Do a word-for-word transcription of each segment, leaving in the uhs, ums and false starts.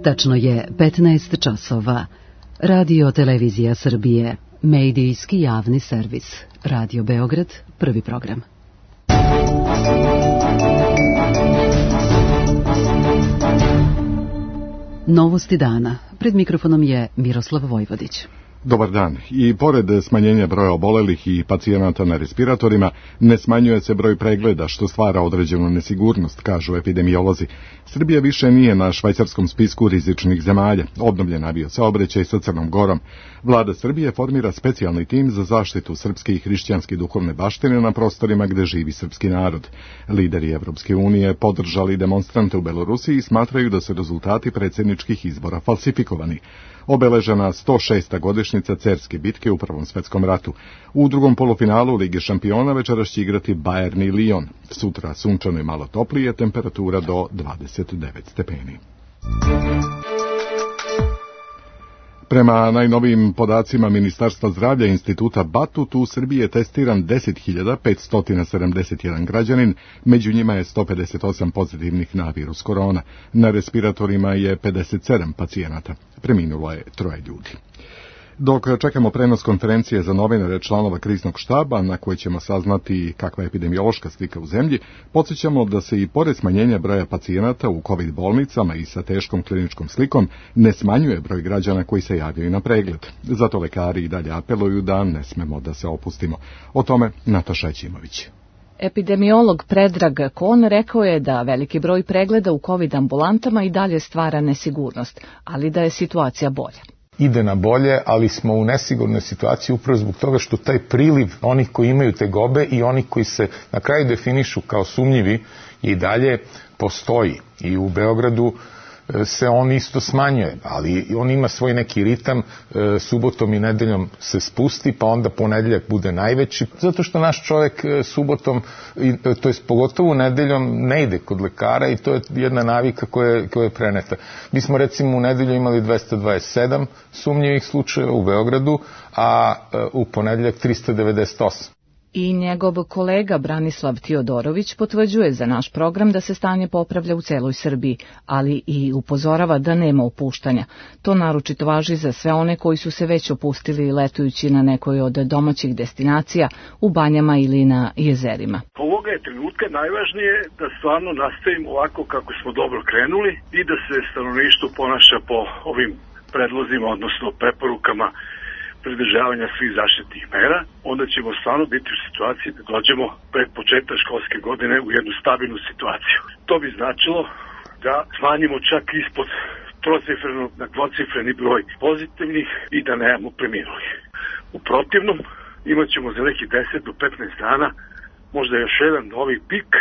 Tačno je petnaest časova. Radio Televizija Srbije, medijski javni servis. Radio Beograd, prvi program. Novosti dana. Pred mikrofonom je Miroslav Vojvodić. Dobar dan. I pored smanjenja broja obolelih i pacijenata na respiratorima, ne smanjuje se broj pregleda, što stvara određenu nesigurnost, kažu epidemiolozi. Srbija više nije na švajcarskom spisku rizičnih zemalja. Obnovljen avio-saobraćaj sa Crnom Gorom. Vlada Srbije formira specijalni tim za zaštitu srpske i hrišćanske duhovne baštine na prostorima gde živi srpski narod. Lideri Evropske unije podržali demonstrante u Belorusiji i smatraju da su rezultati predsjedničkih izbora falsifikovani. Obeležena sto šesta godišnjica Cerske bitke u Prvom svetskom ratu. U drugom polufinalu Lige šampiona večeras će igrati Bayern i Lyon. Sutra sunčano i malo toplije, temperatura do dvadeset devet stepeni. Prema najnovijim podacima Ministarstva zdravlja Instituta Batut, u Srbiji je testiran deset hiljada petsto sedamdeset jedan građanin, među njima je sto pedeset osam pozitivnih na virus korona. Na respiratorima je pedeset sedam pacijenata. Preminulo je troje ljudi. Dok čekamo prenos konferencije za novinare članova kriznog štaba, na kojoj ćemo saznati kakva je epidemiološka slika u zemlji, podsjećamo da se i pored smanjenja broja pacijenata u COVID bolnicama i sa teškom kliničkom slikom ne smanjuje broj građana koji se javljaju na pregled. Zato lekari i dalje apeluju da ne smemo da se opustimo. O tome Nataša Ćimović. Epidemiolog Predrag Kon rekao je da veliki broj pregleda u COVID ambulantama i dalje stvara nesigurnost, ali da je situacija bolja. Ide na bolje, ali smo u nesigurnoj situaciji upravo zbog toga što taj priliv onih koji imaju tegobe i onih koji se na kraju definišu kao sumnjivi i dalje postoji. I u Beogradu se on isto smanjuje, ali on ima svoj neki ritam, subotom i nedeljom se spusti, pa onda ponedeljak bude najveći, zato što naš čovjek subotom, to je pogotovo nedeljom, ne ide kod lekara i to je jedna navika koja, koja je preneta. Mi smo recimo u nedelju imali dvesta dvadeset sedam sumnjivih slučajeva u Beogradu, a u ponedeljak trista devedeset osam. I njegov kolega Branislav Tiodorović potvrđuje za naš program da se stanje popravlja u celoj Srbiji, ali i upozorava da nema opuštanja. To naročito važi za sve one koji su se već opustili letujući na nekoj od domaćih destinacija, u banjama ili na jezerima. Ovoga je trenutka najvažnije da stvarno nastavimo ovako kako smo dobro krenuli i da se stanovništvo ponaša po ovim predlozima, odnosno preporukama pridržavanja svih zaštitnih mera, onda ćemo stvarno biti u situaciji da dođemo pred početak školske godine u jednu stabilnu situaciju. To bi značilo da smanjimo čak ispod trocifreno na dvocifreni broj pozitivnih i da nemamo preminulih. U protivnom, imat ćemo za nekih deset do petnaest dana možda još jedan novi pik,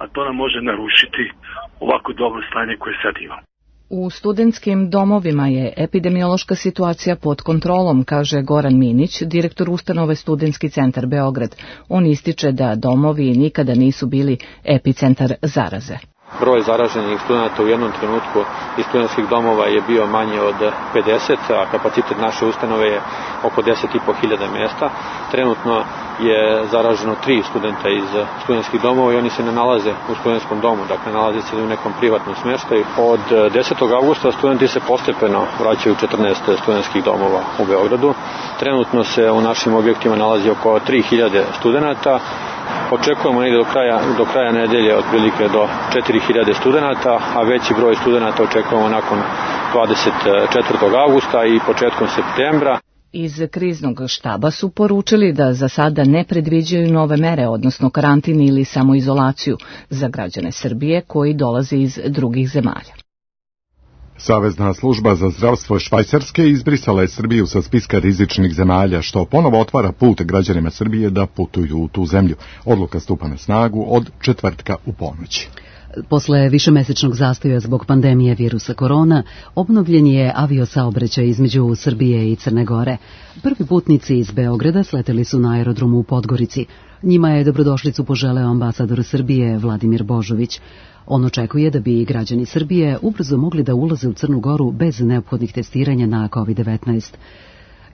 a to nam može narušiti ovako dobro stanje koje sad imamo. U studentskim domovima je epidemiološka situacija pod kontrolom, kaže Goran Minić, direktor ustanove Studentski centar Beograd. On ističe da domovi nikada nisu bili epicentar zaraze. Broj zaraženih studenta u jednom trenutku iz studentskih domova je bio manje od pedeset, a kapacitet naše ustanove je oko deset i po hiljada mjesta. Trenutno je zaraženo tri studenta iz studentskih domova i oni se ne nalaze u studentskom domu, dakle nalaze se u nekom privatnom smještaju. Od desetog avgusta studenti se postepeno vraćaju u četrnaest studentskih domova u Beogradu. Trenutno se u našim objektima nalazi oko tri hiljade studenta. Očekujemo negdje do kraja, do kraja nedelje otprilike do četiri hiljade studenata, a veći broj studenata očekujemo nakon dvadeset četvrtog avgusta i početkom septembra. Iz kriznog štaba su poručili da za sada ne predviđaju nove mere, odnosno karantin ili samoizolaciju za građane Srbije koji dolaze iz drugih zemalja. Savezna služba za zdravstvo Švajcarske izbrisala je Srbiju sa spiska rizičnih zemalja, što ponovo otvara put građanima Srbije da putuju u tu zemlju. Odluka stupa na snagu od četvrtka u ponoći. Posle višemesečnog zastoja zbog pandemije virusa korona, obnovljen je aviosaobraćaj između Srbije i Crne Gore. Prvi putnici iz Beograda sleteli su na aerodromu u Podgorici. Njima je dobrodošlicu poželeo ambasador Srbije Vladimir Božović. On očekuje da bi građani Srbije ubrzo mogli da ulaze u Crnu Goru bez neophodnih testiranja na kovid devetnaest.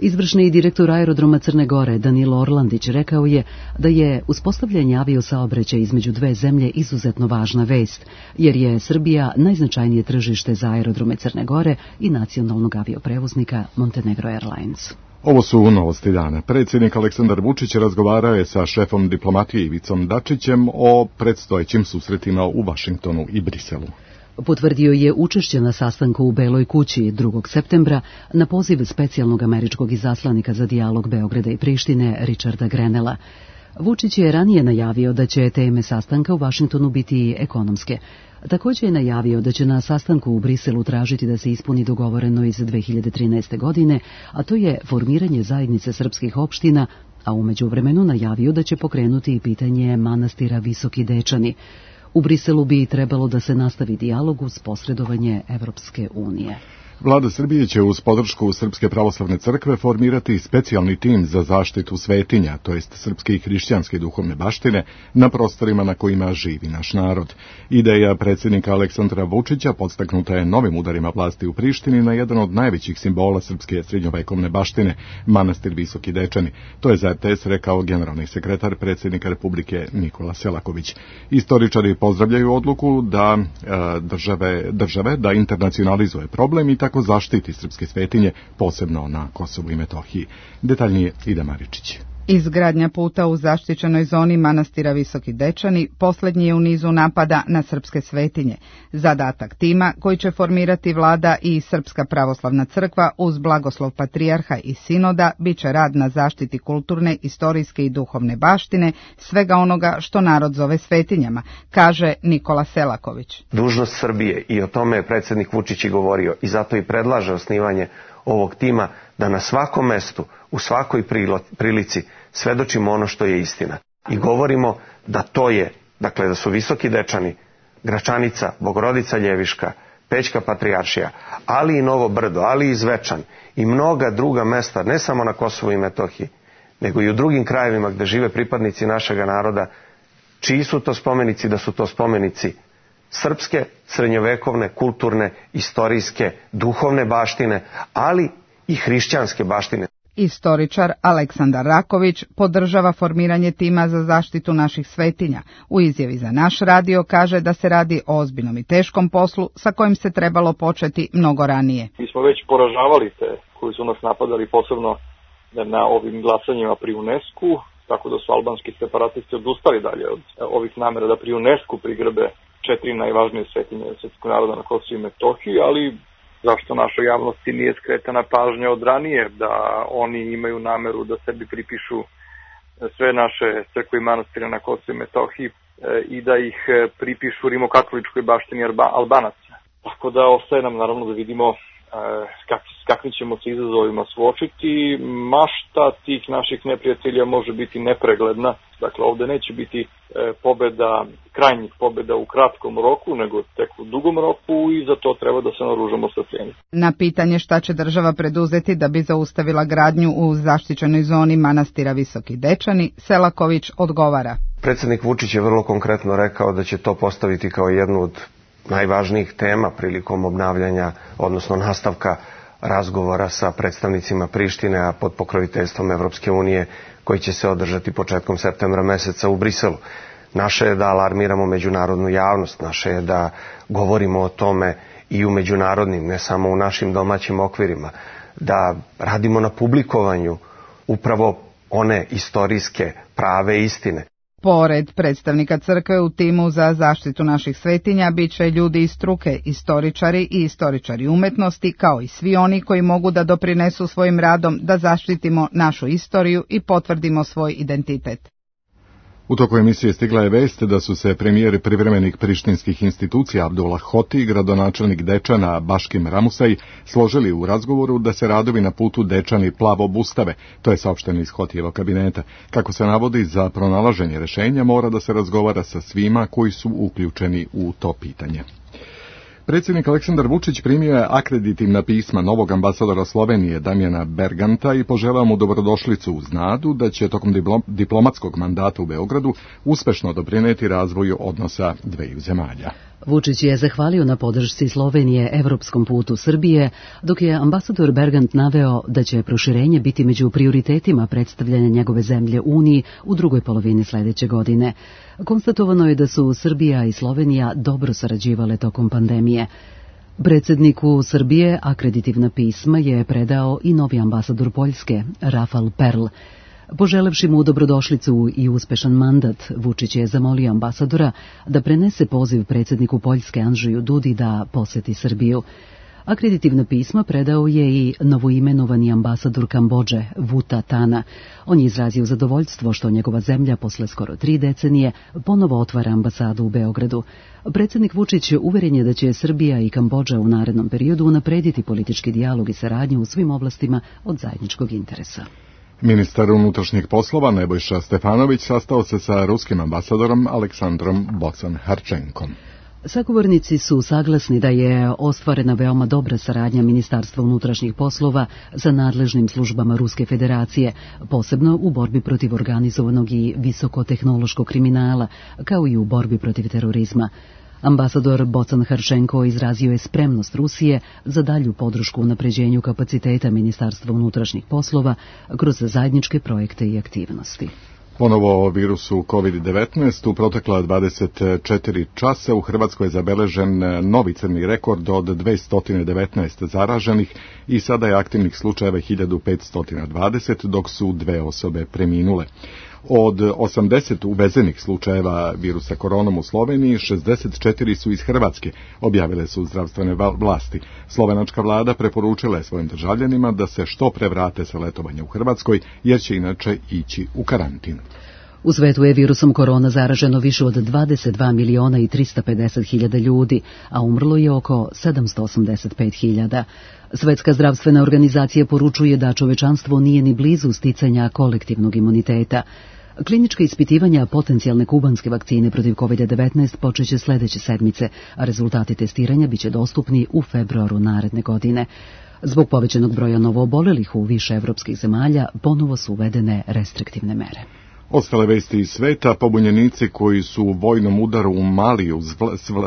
Izvršni direktor aerodroma Crne Gore Danilo Orlandić rekao je da je uspostavljanje aviosaobraćaja između dve zemlje izuzetno važna vest, jer je Srbija najznačajnije tržište za aerodrome Crne Gore i nacionalnog avioprevoznika Montenegro Airlines. Ovo su novosti dana. Predsjednik Aleksandar Vučić razgovarao je sa šefom diplomatije Ivicom Dačićem o predstojećim susretima u Vašingtonu i Briselu. Potvrdio je učešće na sastanku u Beloj kući drugog septembra na poziv specijalnog američkog izaslanika za dijalog Beograda i Prištine Richarda Grenela. Vučić je ranije najavio da će teme sastanka u Vašingtonu biti ekonomske. Također je najavio da će na sastanku u Briselu tražiti da se ispuni dogovoreno iz dve hiljade trinaeste. godine, a to je formiranje zajednice srpskih opština, a u međuvremenu najavio da će pokrenuti i pitanje manastira Visoki Dečani. U Briselu bi trebalo da se nastavi dijalog uz posredovanje Evropske unije. Vlada Srbije će uz podršku Srpske pravoslavne crkve formirati specijalni tim za zaštitu svetinja, to jest srpske i hrišćanske duhovne baštine, na prostorima na kojima živi naš narod. Ideja predsjednika Aleksandra Vučića podstaknuta je novim udarima vlasti u Prištini na jedan od najvećih simbola srpske srednjovekovne baštine, manastir Visoki Dečani. To je za er te es rekao generalni sekretar predsjednika Republike Nikola Selaković. Istoričari pozdravljaju odluku da e, države, države da internacionalizuje problem i tako zaštiti srpske svetinje, posebno na Kosovu i Metohiji. Detaljnije Ida Maričić. Izgradnja puta u zaštićenoj zoni manastira Visoki Dečani posljednji je u nizu napada na srpske svetinje. Zadatak tima koji će formirati vlada i Srpska pravoslavna crkva uz blagoslov patrijarha i sinoda bit će rad na zaštiti kulturne, istorijske i duhovne baštine, svega onoga što narod zove svetinjama, kaže Nikola Selaković. Dužnost Srbije, i o tome je predsjednik Vučić i govorio, i zato i predlaže osnivanje ovog tima, da na svakom mestu, u svakoj prilici svedočimo ono što je istina. I govorimo da to je, dakle da su Visoki Dečani, Gračanica, Bogorodica Ljeviška, Pećka Patrijaršija, ali i Novo Brdo, ali i Zvečan i mnoga druga mesta, ne samo na Kosovu i Metohiji, nego i u drugim krajevima gde žive pripadnici našega naroda, čiji su to spomenici, da su to spomenici srpske, srednjovekovne, kulturne, istorijske, duhovne baštine, ali i hrišćanske baštine. Istoričar Aleksandar Raković podržava formiranje tima za zaštitu naših svetinja. U izjavi za naš radio kaže da se radi o ozbiljnom i teškom poslu sa kojim se trebalo početi mnogo ranije. Mi smo već poražavali te koji su nas napadali, posebno na ovim glasanjima pri UNESCO, tako da su albanski separatisti odustali dalje od ovih namera da pri UNESCO prigrbe četiri najvažnije svetinje srpskog naroda na Kosovu i Metohiji, ali zašto našoj javnosti nije skretana pažnja od ranije da oni imaju nameru da sebi pripišu sve naše crkve i manastire na Kosovu i Metohiji i da ih pripišu rimokatoličkoj baštini Albanaca. Tako da ostaje nam naravno da vidimo s kakvim ćemo se izazovima suočiti. Mašta tih naših neprijatelja može biti nepregledna. Dakle, ovde neće biti pobeda, krajnjih pobeda u kratkom roku, nego tek u dugom roku i za to treba da se naoružamo strpljenjem. Na pitanje šta će država preduzeti da bi zaustavila gradnju u zaštićenoj zoni manastira Visoki Dečani, Selaković odgovara. Predsjednik Vučić je vrlo konkretno rekao da će to postaviti kao jednu od najvažnijih tema prilikom obnavljanja, odnosno nastavka razgovora sa predstavnicima Prištine, a pod pokroviteljstvom Evropske unije, koji će se održati početkom septembra meseca u Briselu. Naše je da alarmiramo međunarodnu javnost, naše je da govorimo o tome i u međunarodnim, ne samo u našim domaćim okvirima, da radimo na publikovanju upravo one istorijske prave istine. Pored predstavnika crkve u timu za zaštitu naših svetinja bit će ljudi iz struke, istoričari i istoričari umetnosti, kao i svi oni koji mogu da doprinesu svojim radom da zaštitimo našu istoriju i potvrdimo svoj identitet. U toku emisije stigla je vest da su se premijeri privremenih prištinskih institucija Abdullah Hoti i gradonačelnik Dečana Baškim Ramusaj složili u razgovoru da se radovi na putu Dečani Plavo obustave, to je saopšteno iz Hotijevog kabineta. Kako se navodi, za pronalaženje rešenja mora da se razgovara sa svima koji su uključeni u to pitanje. Predsjednik Aleksandar Vučić primio je akreditivna pisma novog ambasadora Slovenije Damjana Berganta i poželao mu dobrodošlicu uz nadu da će tokom diplomatskog mandata u Beogradu uspešno doprineti razvoju odnosa dveju zemalja. Vučić je zahvalio na podršci Slovenije evropskom putu Srbije, dok je ambasador Bergant naveo da će proširenje biti među prioritetima predstavljanja njegove zemlje Uniji u drugoj polovini sledeće godine. Konstatovano je da su Srbija i Slovenija dobro sarađivale tokom pandemije. Predsjedniku Srbije akreditivna pisma je predao i novi ambasador Poljske, Rafal Perl. Poželevši mu dobrodošlicu i uspešan mandat, Vučić je zamolio ambasadora da prenese poziv predsjedniku Poljske Andžeju Dudi da poseti Srbiju. Akreditivna pisma predao je i novoimenovani ambasador Kambodže, Vuta Tana. On je izrazio zadovoljstvo što njegova zemlja posle skoro tri decenije ponovo otvara ambasadu u Beogradu. Predsjednik Vučić uveren je da će Srbija i Kambodža u narednom periodu unaprediti politički dijalog i saradnju u svim oblastima od zajedničkog interesa. Ministar unutrašnjih poslova Nebojša Stefanović sastao se sa ruskim ambasadorom Aleksandrom Bocan-Harčenkom. Sagovornici su saglasni da je ostvarena veoma dobra saradnja Ministarstva unutrašnjih poslova sa nadležnim službama Ruske federacije, posebno u borbi protiv organizovanog i visokotehnološkog kriminala, kao i u borbi protiv terorizma. Ambasador Bocan-Harčenko izrazio je spremnost Rusije za dalju podršku unapređenju kapaciteta Ministarstva unutrašnjih poslova kroz zajedničke projekte i aktivnosti. Ponovo o virusu kovid devetnaest u protekla dvadeset četiri časa u Hrvatskoj je zabeležen novi crni rekord od dvesta devetnaest zaraženih i sada je aktivnih slučajeva hiljadu petsto dvadeset, dok su dve osobe preminule. Od osamdeset uvezenih slučajeva virusa koronom u Sloveniji, šezdeset četiri su iz Hrvatske, objavile su zdravstvene vlasti. Slovenačka vlada preporučila je svojim državljanima da se što pre vrate sa letovanja u Hrvatskoj, jer će inače ići u karantin. U svetu je virusom korona zaraženo više od dvadeset dva miliona i trista pedeset hiljada ljudi, a umrlo je oko sedamsto osamdeset pet hiljada. Svetska zdravstvena organizacija poručuje da čovečanstvo nije ni blizu sticanja kolektivnog imuniteta. Klinička ispitivanja potencijalne kubanske vakcine protiv kovid devetnaest počeće sledeće sedmice, a rezultati testiranja biće dostupni u februaru naredne godine. Zbog povećanog broja novoobolelih u više evropskih zemalja ponovo su uvedene restriktivne mere. Ostale vesti iz sveta, pobunjenici koji su u vojnom udaru u Maliju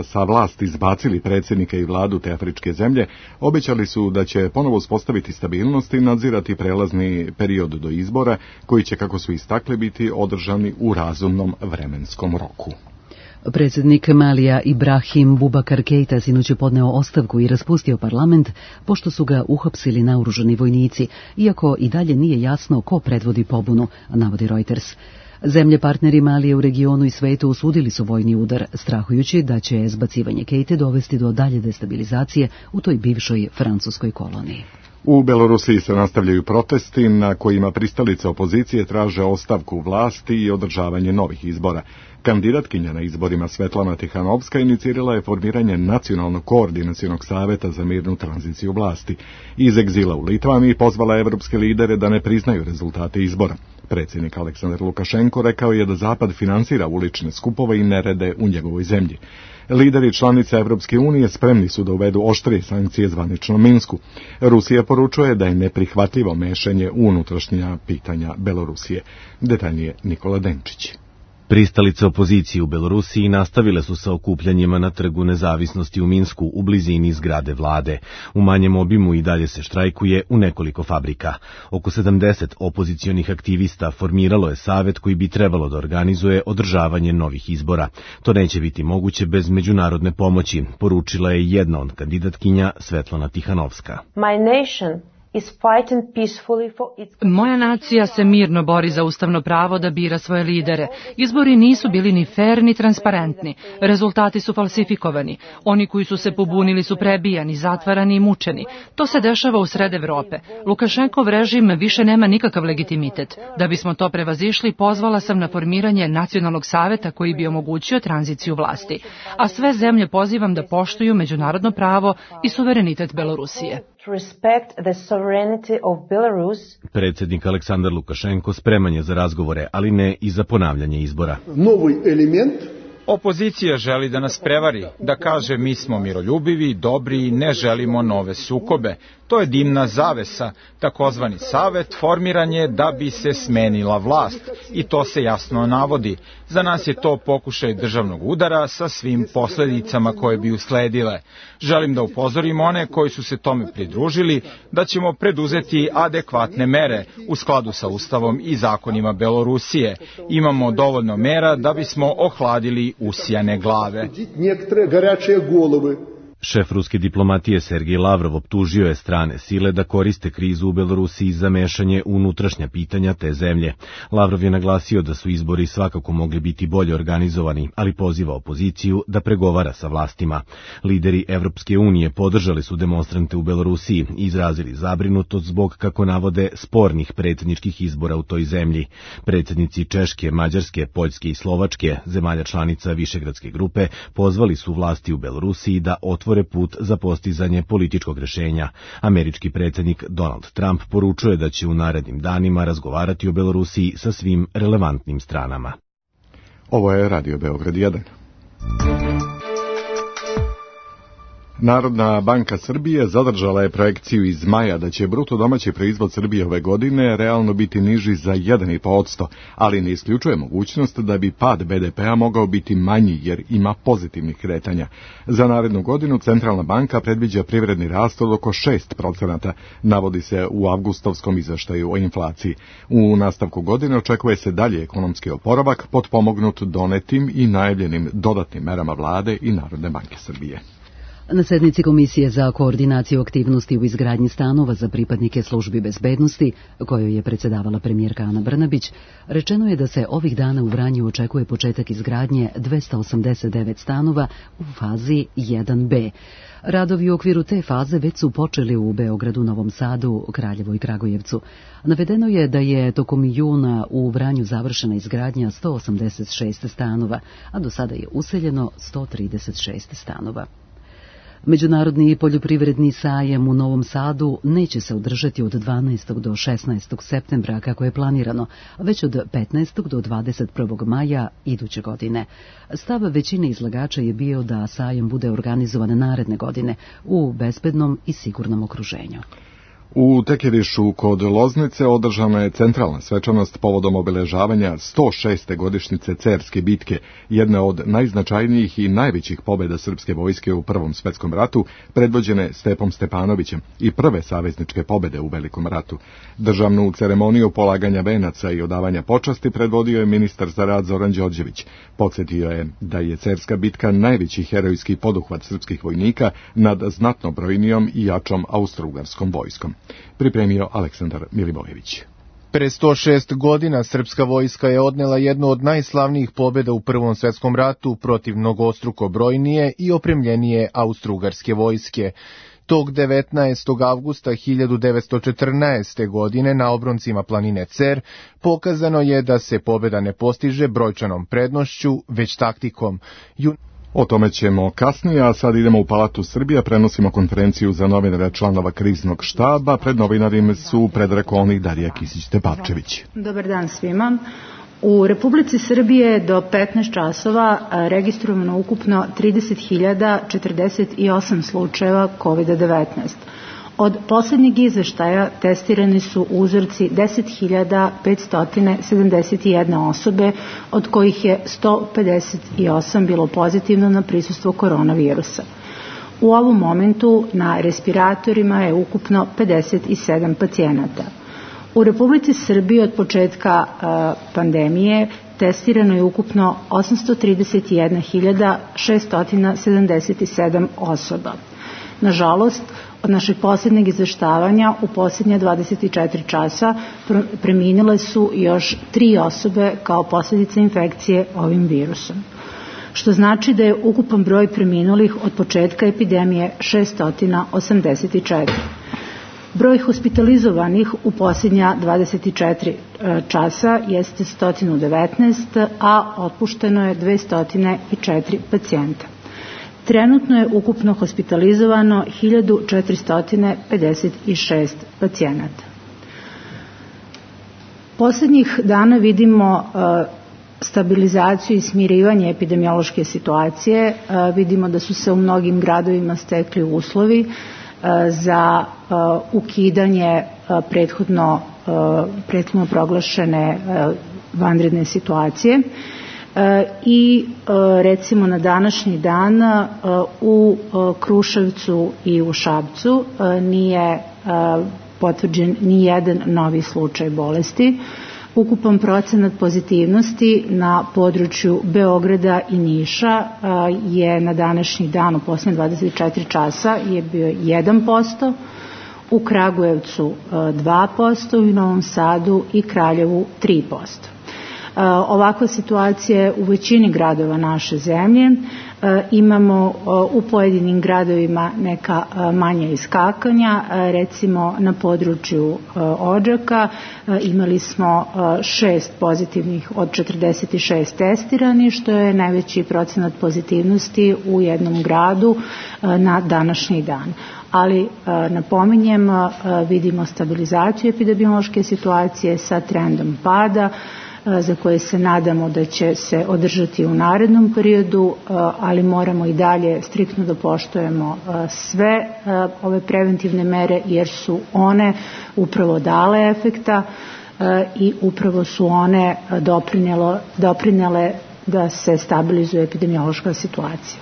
sa vlasti izbacili predsjednika i vladu te afričke zemlje, obećali su da će ponovo uspostaviti stabilnost i nadzirati prelazni period do izbora, koji će, kako su istakli, biti održani u razumnom vremenskom roku. Predsjednik Malija Ibrahim Bubakar Keita sinoć je podneo ostavku i raspustio parlament, pošto su ga uhapsili naoružani vojnici, iako i dalje nije jasno ko predvodi pobunu, navodi Reuters. Zemlje partneri Malije u regionu i svetu osudili su vojni udar, strahujući da će zbacivanje Keite dovesti do dalje destabilizacije u toj bivšoj francuskoj koloniji. U Belorusiji se nastavljaju protesti na kojima pristalice opozicije traže ostavku vlasti i održavanje novih izbora. Kandidatkinja na izborima Svetlana Tihanovska inicirala je formiranje Nacionalnog koordinacionog saveta za mirnu tranziciju vlasti. Iz egzila u Litvaniji pozvala evropske lidere da ne priznaju rezultate izbora. Predsjednik Aleksandar Lukašenko rekao je da Zapad finansira ulične skupove i nerede u njegovoj zemlji. Lideri članica Evropske unije spremni su da uvedu oštrije sankcije zvaničnom Minsku. Rusija poručuje da je neprihvatljivo mešanje u unutrašnja pitanja Belorusije. Detaljnije Nikola Denčić. Pristalice opozicije u Belorusiji nastavile su sa okupljanjima na Trgu nezavisnosti u Minsku u blizini zgrade vlade. U manjem obimu i dalje se štrajkuje u nekoliko fabrika. Oko sedamdeset opozicionih aktivista formiralo je savet koji bi trebalo da organizuje održavanje novih izbora. To neće biti moguće bez međunarodne pomoći, poručila je jedna od kandidatkinja Svetlana Tihanovska. My nation Moja nacija se mirno bori za ustavno pravo da bira svoje lidere. Izbori nisu bili ni fer ni transparentni. Rezultati su falsifikovani. Oni koji su se pobunili su prebijani, zatvarani i mučeni. To se dešava u sred Evrope. Lukašenkov režim više nema nikakav legitimitet. Da bismo to prevazišli, pozvala sam na formiranje Nacionalnog saveta koji bi omogućio tranziciju vlasti. A sve zemlje pozivam da poštuju međunarodno pravo i suverenitet Belorusije. Predsjednik Aleksandar Lukašenko spreman je za razgovore, ali ne i za ponavljanje izbora. Novi element Opozicija želi da nas prevari, da kaže mi smo miroljubivi, dobri i ne želimo nove sukobe. To je dimna zavesa, takozvani savet formiran je da bi se smenila vlast i to se jasno navodi. Za nas je to pokušaj državnog udara sa svim posledicama koje bi usledile. Želim da upozorim one koji su se tome pridružili da ćemo preduzeti adekvatne mere u skladu sa Ustavom i zakonima Belorusije. Imamo dovoljno mera da bismo ohladili usijane glave. Šef ruske diplomatije Sergej Lavrov optužio je strane sile da koriste krizu u Belorusiji za mešanje u unutrašnja pitanja te zemlje. Lavrov je naglasio da su izbori svakako mogli biti bolje organizovani, ali poziva opoziciju da pregovara sa vlastima. Lideri Evropske unije podržali su demonstrante u Belorusiji i izrazili zabrinutost zbog, kako navode, spornih predsjedničkih izbora u toj zemlji. Predsjednici Češke, Mađarske, Poljske i Slovačke, zemalja članica Višegradske grupe, pozvali su vlasti u Belorusiji da otvore put za postizanje političkog rešenja. Američki predsjednik Donald Trump poručuje da će u narednim danima razgovarati o Belorusiji sa svim relevantnim stranama. Ovo je Radio Beograd jedan. Narodna banka Srbije zadržala je projekciju iz maja da će bruto domaći proizvod Srbije ove godine realno biti niži za jedan i po posto, ali ne isključuje mogućnost da bi pad be de pea mogao biti manji jer ima pozitivnih kretanja. Za narednu godinu Centralna banka predviđa privredni rast od oko šest procenata, navodi se u avgustovskom izveštaju o inflaciji. U nastavku godine očekuje se dalje ekonomski oporavak potpomognut donetim i najavljenim dodatnim merama vlade i Narodne banke Srbije. Na sednici Komisije za koordinaciju aktivnosti u izgradnji stanova za pripadnike službi bezbednosti, kojoj je predsjedavala premijerka Ana Brnabić, rečeno je da se ovih dana u Vranju očekuje početak izgradnje dvesta osamdeset devet stanova u fazi jedan be. Radovi u okviru te faze već su počeli u Beogradu, Novom Sadu, Kraljevu i Kragujevcu. Navedeno je da je tokom juna u Vranju završena izgradnja sto osamdeset šest stanova, a do sada je useljeno sto trideset šest stanova. Međunarodni poljoprivredni sajam u Novom Sadu neće se održati od dvanaestog do šesnaestog septembra kako je planirano, već od petnaestog do dvadeset prvog maja iduće godine. Stav većine izlagača je bio da sajam bude organizovan naredne godine u bezbednom i sigurnom okruženju. U Tekirišu kod Loznice održana je centralna svečanost povodom obeležavanja sto šeste godišnjice Cerske bitke, jedne od najznačajnijih i najvećih pobjeda srpske vojske u Prvom svetskom ratu, predvođene Stepom Stepanovićem i prve savezničke pobjede u Velikom ratu. Državnu ceremoniju polaganja venaca i odavanja počasti predvodio je ministar za rad Zoran Đorđević. Podsjetio je da je Cerska bitka najveći herojski poduhvat srpskih vojnika nad znatno brojnijom i jačom austrougarskom vojskom. Pripremio Aleksandar Milivojević. Pre sto šest godina srpska vojska je odnela jednu od najslavnijih pobjeda u Prvom svetskom ratu protiv mnogostruko brojnije i opremljenije austrougarske vojske. Tog devetnaestog avgusta hiljadu devetsto četrnaeste. godine na obroncima planine Cer pokazano je da se pobjeda ne postiže brojčanom prednošću, već taktikom. Jun... O tome ćemo kasnije, a sad idemo u Palatu Srbija, prenosimo konferenciju za novinare članova kriznog štaba. Pred novinarima su Predrag Kolnik, Darija Kisić-Tepavčević. Dobar dan svima. U Republici Srbije do petnaest časova registrovano ukupno trideset hiljada četrdeset osam slučajeva kovid devetnaest. Od posljednjeg izveštaja testirani su uzorci deset hiljada petsto sedamdeset jedna osobe, od kojih je sto pedeset osam bilo pozitivno na prisustvo koronavirusa. U ovom momentu na respiratorima je ukupno pedeset sedam pacijenata. U Republici Srbiji od početka uh, pandemije testirano je ukupno osamsto trideset jedna hiljada šesto sedamdeset sedam osoba. Nažalost, od našeg posljednjeg izveštavanja u posljednje dvadeset četiri časa preminile su još tri osobe kao posljedica infekcije ovim virusom, što znači da je ukupan broj preminulih od početka epidemije šesto osamdeset četiri. Broj hospitalizovanih u posljednja dvadeset četiri časa jeste sto devetnaest, a otpušteno je dvesta četiri pacijenta. Trenutno je ukupno hospitalizovano hiljadu četiristo pedeset šest pacijenata. Poslednjih dana vidimo uh, stabilizaciju i smirivanje epidemiološke situacije. Vidimo da su se u mnogim gradovima stekli uslovi za ukidanje prethodno, prethodno proglašene vanredne situacije. I recimo na današnji dan u Kruševcu i u Šapcu nije potvrđen ni jedan novi slučaj bolesti. Ukupan procenat pozitivnosti na području Beograda i Niša je na današnji dan u posljednje dvadeset četiri časa je bio jedan posto, u Kragujevcu dva posto, u Novom Sadu i Kraljevu tri posto. Ovakva situacija je u većini gradova naše zemlje. Imamo u pojedinim gradovima neka manja iskakanja, recimo na području Odžaka imali smo šest pozitivnih od četrdeset šest testirani, što je najveći procenat pozitivnosti u jednom gradu na današnji dan. Ali napominjem, vidimo stabilizaciju epidemiološke situacije sa trendom pada, za koje se nadamo da će se održati u narednom periodu, ali moramo i dalje striktno da poštujemo sve ove preventivne mere, jer su one upravo dale efekta i upravo su one doprinele da se stabilizuje epidemiološka situacija.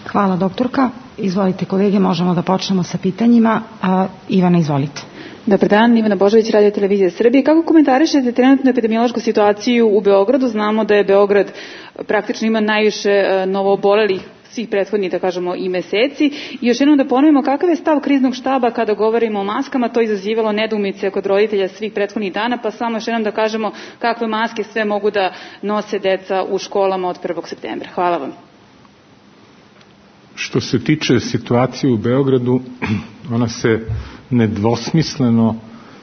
Hvala doktorka. Izvolite kolege, možemo da počnemo sa pitanjima. A, Ivana, izvolite. Dobar dan, Ivana Božović, Radio Televizija Srbije. Kako komentarišete trenutnu epidemiološku situaciju u Beogradu? Znamo da je Beograd praktično ima najviše novoobolelih svih prethodnih, da kažemo, i meseci. I još jednom da ponovimo, kakav je stav kriznog štaba kada govorimo o maskama? To je izazivalo nedoumice kod roditelja svih prethodnih dana, pa samo još jednom da kažemo kakve maske sve mogu da nose deca u školama od prvog septembra. Hvala vam. Što se tiče situacije u Beogradu, ona se nedvosmisleno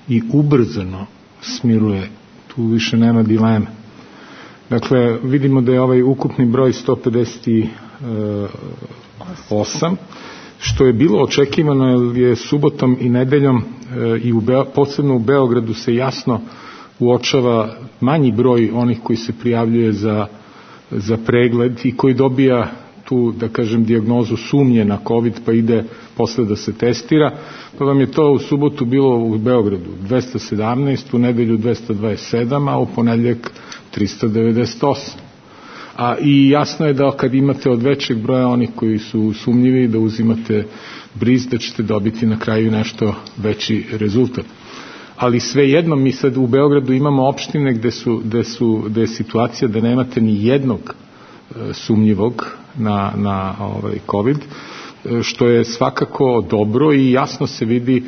i ubrzano smiruje. Tu više nema dileme. Dakle, vidimo da je ovaj ukupni broj sto pedeset osam, što je bilo očekivano, jer je subotom i nedeljom i u Be- posebno u Beogradu se jasno uočava manji broj onih koji se prijavljuje za, za pregled i koji dobija tu, da kažem, dijagnozu sumnje na COVID, pa ide posle da se testira, pa vam je to u subotu bilo u Beogradu dvesta sedamnaest, u nedelju dvesta dvadeset sedam, a u ponedeljak trista devedeset osam. A i jasno je da kad imate od većeg broja onih koji su sumnjivi, da uzimate briz, da ćete dobiti na kraju nešto veći rezultat. Ali svejedno, mi sad u Beogradu imamo opštine gde, su, gde, su, gde je situacija da nemate ni jednog sumnjivog na, na ovaj COVID, što je svakako dobro i jasno se vidi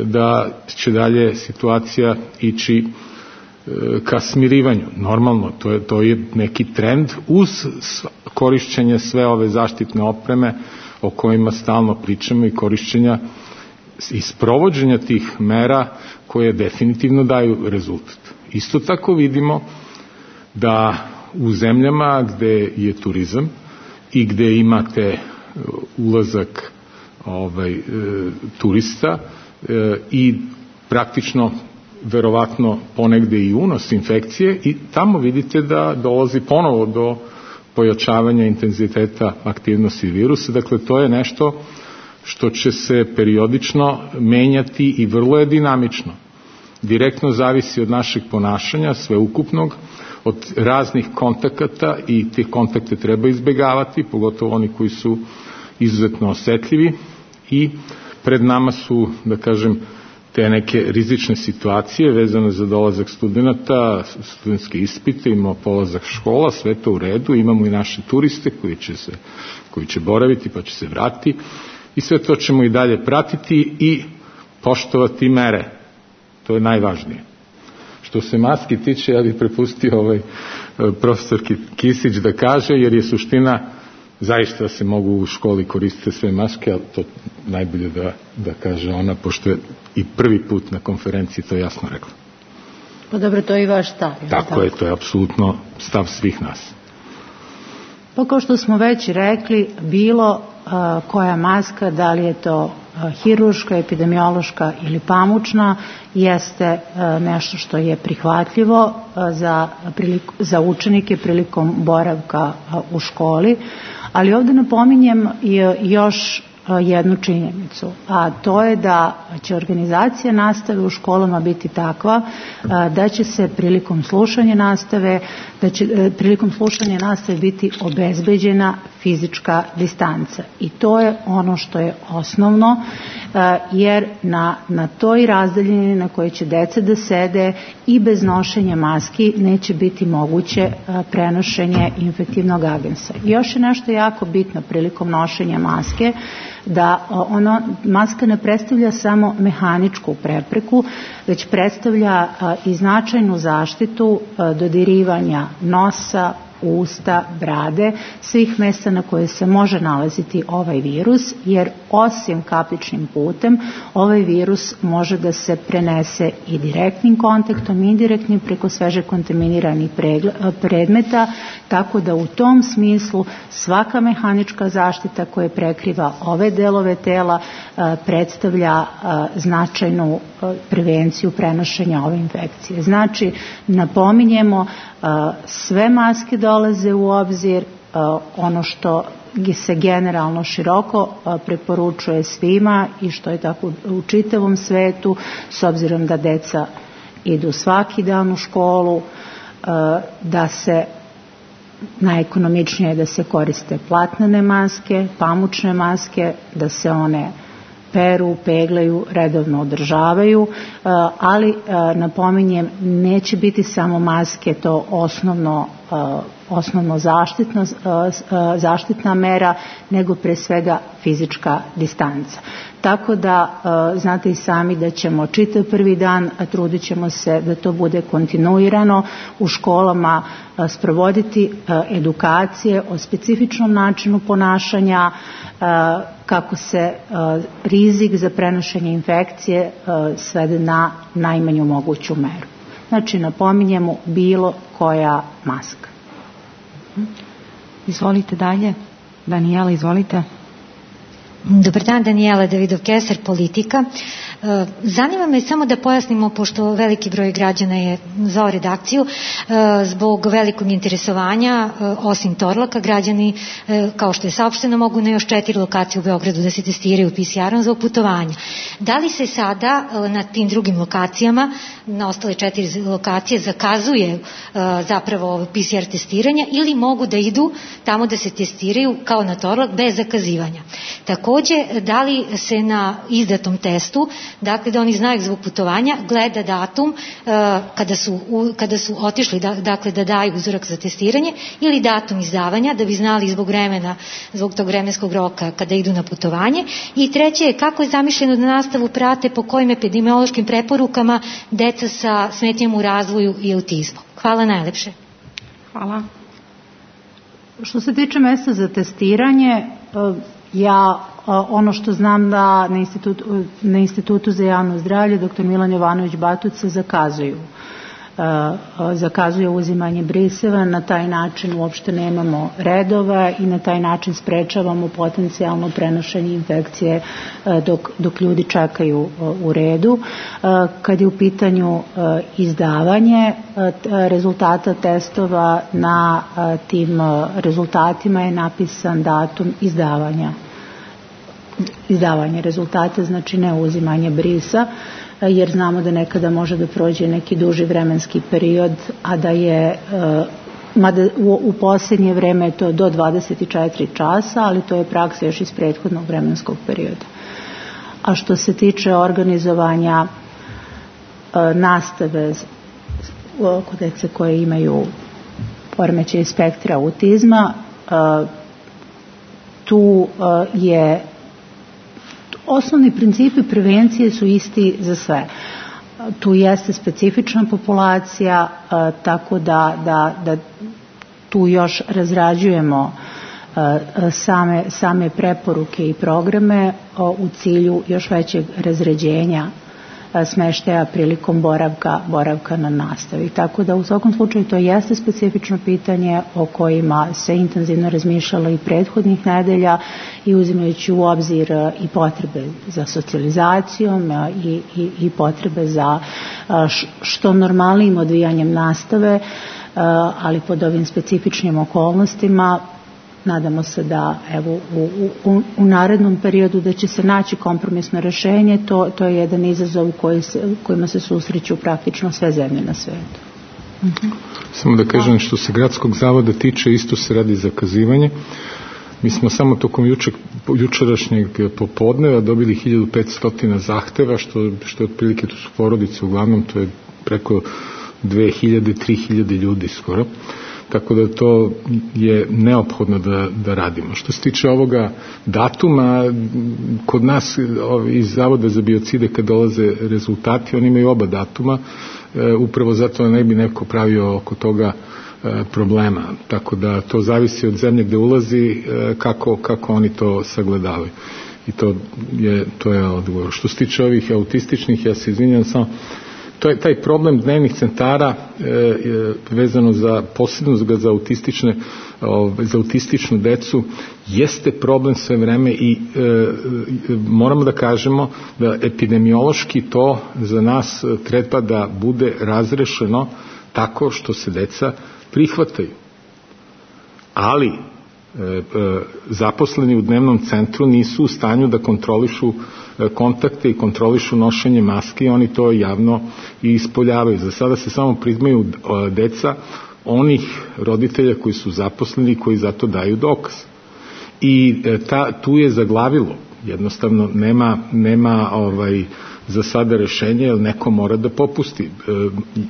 da će dalje situacija ići ka smirivanju. Normalno, to je, to je neki trend uz korišćenje sve ove zaštitne opreme o kojima stalno pričamo i korišćenja i sprovođenja tih mera koje definitivno daju rezultat. Isto tako vidimo da u zemljama gde je turizam i gde imate ulazak ovaj, e, turista e, i praktično verovatno ponegde i unos infekcije, i tamo vidite da dolazi ponovo do pojačavanja intenziteta aktivnosti virusa. Dakle, to je nešto što će se periodično menjati i vrlo je dinamično. Direktno zavisi od našeg ponašanja, sveukupnog, od raznih kontakata, i te kontakte treba izbegavati, pogotovo oni koji su izuzetno osetljivi, i pred nama su, da kažem, te neke rizične situacije vezane za dolazak studenta, studentske ispite, imamo polazak škola, sve to u redu, imamo i naše turiste koji će, se, koji će boraviti pa će se vratiti, i sve to ćemo i dalje pratiti i poštovati mere. To je najvažnije. Što se maski tiče, ja bih prepustio ovaj profesor Kisić da kaže, jer je suština zaista se mogu u školi koristiti sve maske, ali to najbolje da, da kaže ona, pošto je i prvi put na konferenciji to jasno rekla. Pa dobro, to je i vaš stav. Tako, tako je, to je apsolutno stav svih nas. Pa kao što smo već rekli, bilo koja maska, da li je to hirurška, epidemiološka ili pamučna, jeste nešto što je prihvatljivo za, za učenike prilikom boravka u školi, ali ovdje napominjem još jednu činjenicu, a to je da će organizacija nastave u školama biti takva da će se prilikom slušanja nastave, da će prilikom slušanja nastave biti obezbeđena fizička distanca. I to je ono što je osnovno, jer na, na toj razdaljini na kojoj će deca da sede i bez nošenja maski neće biti moguće prenošenje infektivnog agensa. I još je nešto jako bitno prilikom nošenja maske, da ono, maska ne predstavlja samo mehaničku prepreku, već predstavlja i značajnu zaštitu dodirivanja nosa, usta, brade, svih mesta na koje se može nalaziti ovaj virus, jer osim kapličnim putem ovaj virus može da se prenese i direktnim kontaktom, indirektnim preko sveže kontaminiranih predmeta, tako da u tom smislu svaka mehanička zaštita koja prekriva ove delove tela predstavlja značajnu prevenciju prenošenja ove infekcije. Znači, napominjemo, sve maske dolaze u obzir, ono što se generalno široko preporučuje svima i što je tako u čitavom svetu, s obzirom da deca idu svaki dan u školu, da se najekonomičnije je da se koriste platnene maske, pamučne maske, da se one peru, peglaju, redovno održavaju, ali napominjem, neće biti samo maske to osnovno, osnovno zaštitno, zaštitna mera, nego pre svega fizička distanca. Tako da znate i sami da ćemo čitav prvi dan, a trudit ćemo se da to bude kontinuirano u školama, sprovoditi edukacije o specifičnom načinu ponašanja, kako se rizik za prenošenje infekcije svede na najmanju moguću meru. Znači, napominjemo bilo koja maska. Izvolite dalje. Danijela, izvolite. Dobar dan, Danijela Davidov-Keser, Politika. Zanima me samo da pojasnimo, pošto veliki broj građana je zvao redakciju, zbog velikog interesovanja, osim Torlaka, građani, kao što je saopšteno, mogu na još četiri lokacije u Beogradu da se testiraju P C R-om zbog putovanja. Da li se sada na tim drugim lokacijama, na ostale četiri lokacije, zakazuje zapravo P C R testiranje ili mogu da idu tamo da se testiraju kao na Torlak bez zakazivanja? Takođe, da li se na izdatom testu, dakle da oni znaju zbog putovanja, gleda datum uh, kada, su, u, kada su otišli da, dakle da daju uzorak za testiranje ili datum izdavanja da bi znali zbog vremena, zbog tog vremenskog roka kada idu na putovanje. I treće je kako je zamišljeno da nastavu prate po kojim epidemiološkim preporukama deca sa smetnjom u razvoju i autizmom. Hvala najlepše. Hvala. Što se tiče mesta za testiranje, ja ono što znam da na institutu, na institutu za javno zdravlje doktor Milan Jovanović Batuca zakazuju. Zakazuje uzimanje briseva, na taj način uopšte nemamo redova i na taj način sprečavamo potencijalno prenošenje infekcije dok, dok ljudi čekaju u redu. Kad je u pitanju izdavanje rezultata testova, na tim rezultatima je napisan datum izdavanja. Izdavanje rezultata, znači ne uzimanje brisa, jer znamo da nekada može da prođe neki duži vremenski period, a da je, mada u, u posljednje vreme je to do dvadeset četiri časa, ali to je praksa još iz prethodnog vremenskog perioda. A što se tiče organizovanja nastave kod dece koje imaju poremećaj spektra autizma, tu je osnovni principi prevencije su isti za sve. Tu jeste specifična populacija, tako da, da, da tu još razrađujemo same, same preporuke i programe u cilju još većeg razređenja smeštaja prilikom boravka, boravka na nastavi. Tako da u svakom slučaju to jeste specifično pitanje o kojima se intenzivno razmišljalo i prethodnih nedelja i uzimajući u obzir i potrebe za socijalizacijom i, i, i potrebe za što normalnijim odvijanjem nastave, ali pod ovim specifičnim okolnostima. Nadamo se da evo u, u, u narednom periodu da će se naći kompromisno rešenje. To, to je jedan izazov koji se, kojima se susreću praktično sve zemlje na svetu. Uh-huh. Samo da kažem, što se gradskog zavoda tiče, isto se radi zakazivanje. Mi smo samo tokom juče, jučerašnjeg popodneva dobili hiljadu petsto zahteva, što, što je otprilike, to su porodice uglavnom, to je preko dve hiljade, tri hiljade ljudi skoro. Tako da to je neophodno da, da radimo. Što se tiče ovoga datuma, kod nas iz Zavoda za biocide kad dolaze rezultati, oni imaju oba datuma, e, upravo zato ne bi neko pravio oko toga e, problema. Tako da to zavisi od zemlje gde ulazi, e, kako, kako oni to sagledavaju. I to je, to je odgovor. Što se tiče ovih autističnih, ja se izvinjam samo, to je taj problem dnevnih centara e, e, vezano za posebno za autistične o, za autističnu decu jeste problem sve vreme i e, e, moramo da kažemo da epidemiološki to za nas treba da bude razrešeno tako što se deca prihvataju. Ali e, e, zaposleni u dnevnom centru nisu u stanju da kontrolišu kontakte i kontrolišu nošenje maske i oni to javno i ispoljavaju. Za sada se samo priznaju deca onih roditelja koji su zaposleni i koji zato daju dokaz. I ta, tu je zaglavilo. Jednostavno nema, nema ovaj, za sada rešenje, jer neko mora da popusti.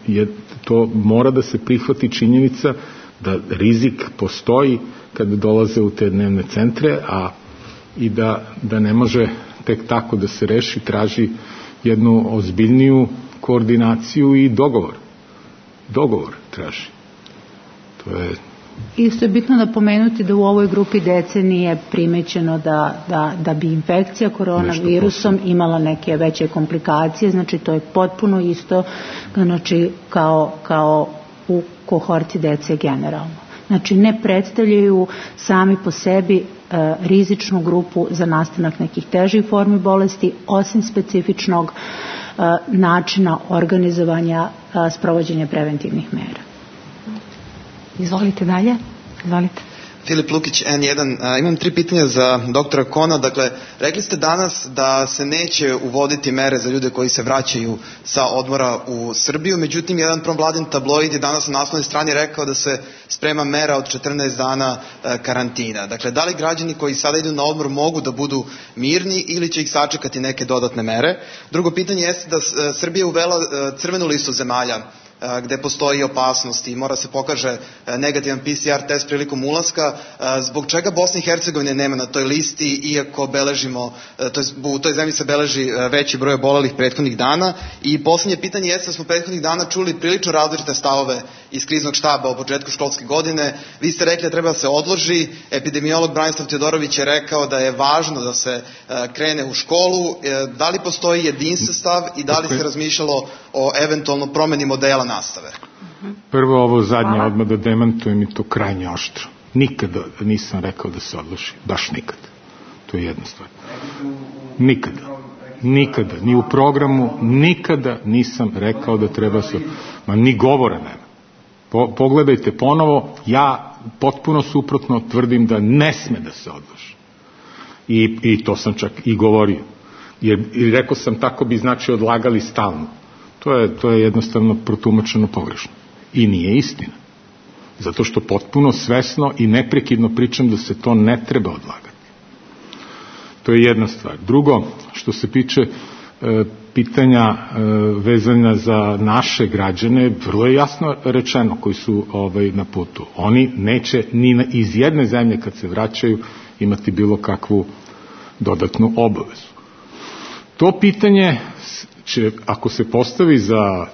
Je, to mora da se prihvati činjenica da rizik postoji kada dolaze u te dnevne centre, a i da, da ne može tek tako da se reši, traži jednu ozbiljniju koordinaciju i dogovor. Dogovor traži. To je... Isto je bitno napomenuti da u ovoj grupi dece nije primećeno da, da, da bi infekcija koronavirusom imala neke veće komplikacije, znači to je potpuno isto, znači kao, kao u kohorti dece generalno. Znači ne predstavljaju sami po sebi e, rizičnu grupu za nastanak nekih težih formi bolesti, osim specifičnog e, načina organizovanja e, sprovođenja preventivnih mera. Izvolite dalje. Izvolite. Filip Lukić, en jedan. A, imam tri pitanja za doktora Kona. Dakle, rekli ste danas da se neće uvoditi mere za ljude koji se vraćaju sa odmora u Srbiju, međutim, jedan provladin tabloid je danas na naslovnoj strani rekao da se sprema mera od četrnaest dana e, karantina. Dakle, da li građani koji sada idu na odmor mogu da budu mirni ili će ih sačekati neke dodatne mere? Drugo pitanje jeste da e, Srbija uvela e, crvenu listu zemalja gde postoji opasnost i mora se pokaže negativan P C R test prilikom ulaska. Zbog čega Bosna i Hercegovina nema na toj listi, iako beležimo, to je, u toj zemlji se beleži veći broj obolelih prethodnih dana? I poslednje pitanje jeste da smo prethodnih dana čuli prilično različite stavove iz kriznog štaba o početku školske godine. Vi ste rekli da treba da se odloži, epidemiolog Branislav Teodorović je rekao da je važno da se krene u školu. Da li postoji jedinstven stav i da li se razmišljalo o eventualno promeni modela nastave? Prvo ovo zadnje, odmah da demantujem i to krajnje oštro. Nikada nisam rekao da se odloži. Baš nikada. To je jedna stvar. Nikada. Nikada. Ni u programu nikada nisam rekao da treba se... Ma ni govora nema. Po, pogledajte ponovo, ja potpuno suprotno tvrdim da ne sme da se odloži. I, i to sam čak i govorio. Jer, jer rekao sam tako bi znači odlagali stalno. To je, to je jednostavno protumačeno pogrešno. I nije istina. Zato što potpuno svesno i neprekidno pričam da se to ne treba odlagati. To je jedna stvar. Drugo, što se piče e, pitanja e, vezanja za naše građane, vrlo je jasno rečeno koji su ovaj, na putu. Oni neće ni na, iz jedne zemlje kad se vraćaju imati bilo kakvu dodatnu obavezu. To pitanje će, ako se postavi za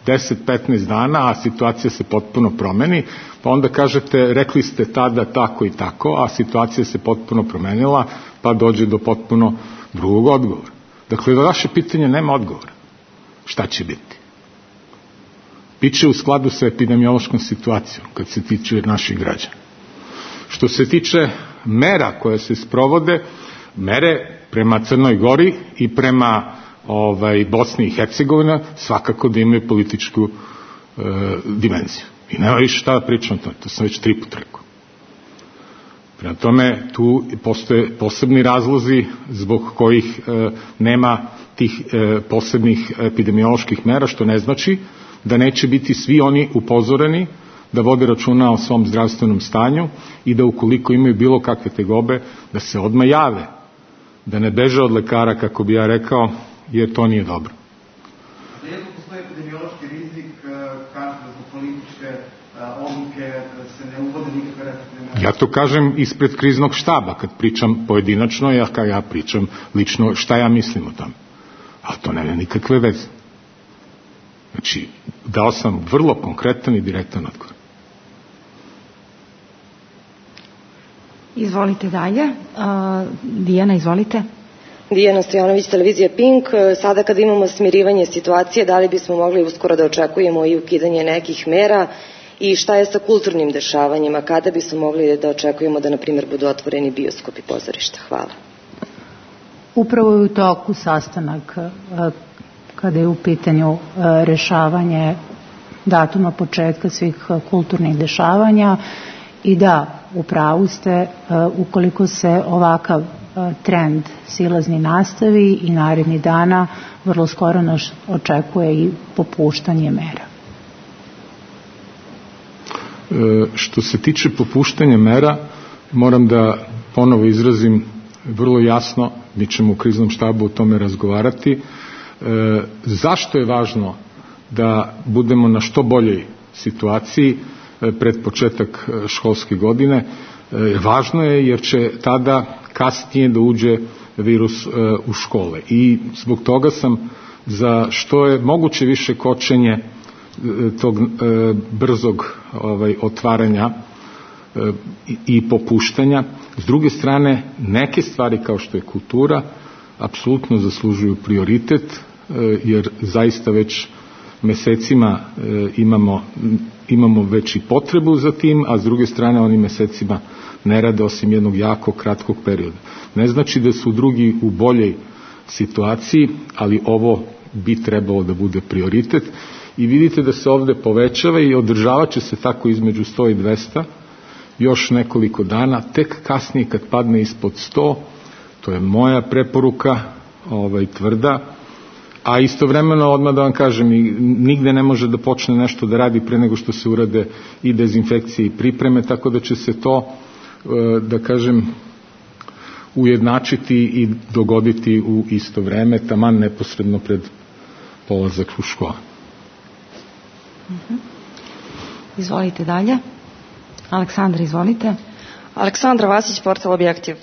deset do petnaest dana, a situacija se potpuno promeni, pa onda kažete, rekli ste tada tako i tako, a situacija se potpuno promenila, pa dođe do potpuno drugog odgovora. Dakle, da vaše pitanje nema odgovora. šta će biti. Biće u skladu sa epidemiološkom situacijom kad se tiče naših građana. Što se tiče mera koje se sprovode, mere prema Crnoj Gori i prema ovaj, Bosni i Hercegovina svakako da imaju političku e, dimenziju. I nema više šta da pričam o tome, to sam već tri put rekao. Prema tome, tu postoje posebni razlozi zbog kojih e, nema tih e, posebnih epidemioloških mera, što ne znači da neće biti svi oni upozoreni da vode računa o svom zdravstvenom stanju i da ukoliko imaju bilo kakve tegobe, da se odmah jave, da ne beže od lekara, kako bi ja rekao, jer to nije dobro. Iako postoji epidemiološki rizik, kažu da zbog političke odluke se ne uvode nikakve restriktivne mere. Ja to kažem ispred kriznog štaba, kad pričam pojedinačno, ja, kad ja pričam lično šta ja mislim o tome. Ali to nema nikakve veze. Znači, dao sam vrlo konkretan i direktan odgovor. Izvolite dalje. Uh, Dijana, izvolite. Dijana Stojanović, televizija Pink. Sada kada imamo smirivanje situacije, da li bismo mogli uskoro da očekujemo i ukidanje nekih mera i šta je sa kulturnim dešavanjima? Kada bismo mogli da očekujemo da, na primjer, budu otvoreni bioskopi i pozorišta? Hvala. Upravo je u toku sastanak kada je u pitanju rešavanje datuma početka svih kulturnih dešavanja i da, u pravu ste, ukoliko se ovakav trend silazni nastavi i narednih dana, vrlo skoro nas očekuje i popuštanje mera. E, što se tiče popuštanja mera, moram da ponovo izrazim vrlo jasno, mi ćemo u kriznom štabu o tome razgovarati, e, zašto je važno da budemo na što boljoj situaciji e, pred početak školske godine. E, važno je jer će tada kasnije da uđe virus e, u škole i zbog toga sam za što je moguće više kočenje e, tog e, brzog ovaj, otvaranja e, i, i popuštanja. S druge strane, neke stvari kao što je kultura apsolutno zaslužuju prioritet e, jer zaista već mesecima e, imamo, imamo već i potrebu za tim, a s druge strane oni mesecima ne rade osim jednog jako kratkog perioda. Ne znači da su drugi u boljoj situaciji, ali ovo bi trebalo da bude prioritet i vidite da se ovde povećava i održavat će se tako između sto i dvesta još nekoliko dana, tek kasnije kad padne ispod sto, to je moja preporuka, ovaj, tvrda, a istovremeno odmah da vam kažem, nigde ne može da počne nešto da radi pre nego što se urade i dezinfekcije i pripreme, tako da će se to, da kažem, ujednačiti i dogoditi u isto vreme, taman neposredno pred polazak u školu. Uh-huh. Izvolite dalje. Aleksandra, izvolite. Aleksandra Vasić, portal Objektiv.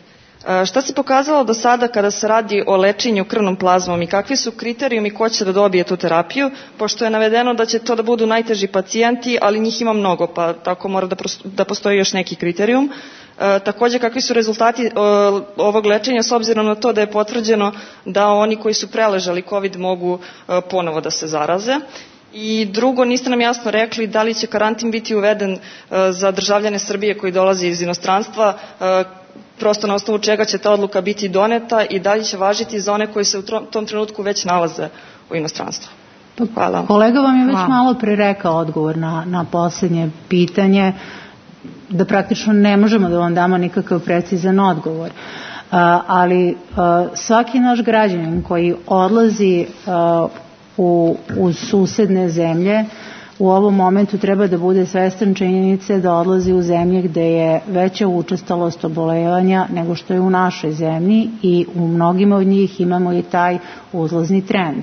Šta se pokazalo do sada kada se radi o lečenju krvnom plazmom i kakvi su kriterijumi ko će da dobije tu terapiju, pošto je navedeno da će to da budu najteži pacijenti, ali njih ima mnogo, pa tako mora da, da postoji još neki kriterijum. E, takođe, kakvi su rezultati e, ovog lečenja s obzirom na to da je potvrđeno da oni koji su preležali COVID mogu e, ponovo da se zaraze. I drugo, niste nam jasno rekli da li će karantin biti uveden e, za državljane Srbije koji dolaze iz inostranstva, e, prosto na osnovu čega će ta odluka biti doneta i da li će važiti za one koji se u tom trenutku već nalaze u inostranstvu. Hvala. Kolega vam je već Hvala. malo pre rekao odgovor na, na posljednje pitanje, da praktično ne možemo da vam damo nikakav precizan odgovor. Uh, ali uh, svaki naš građanin koji odlazi uh, u, u susedne zemlje u ovom momentu treba da bude svestan činjenice da odlazi u zemlje gde je veća učestalost obolevanja nego što je u našoj zemlji i u mnogima od njih imamo i taj uzlazni trend.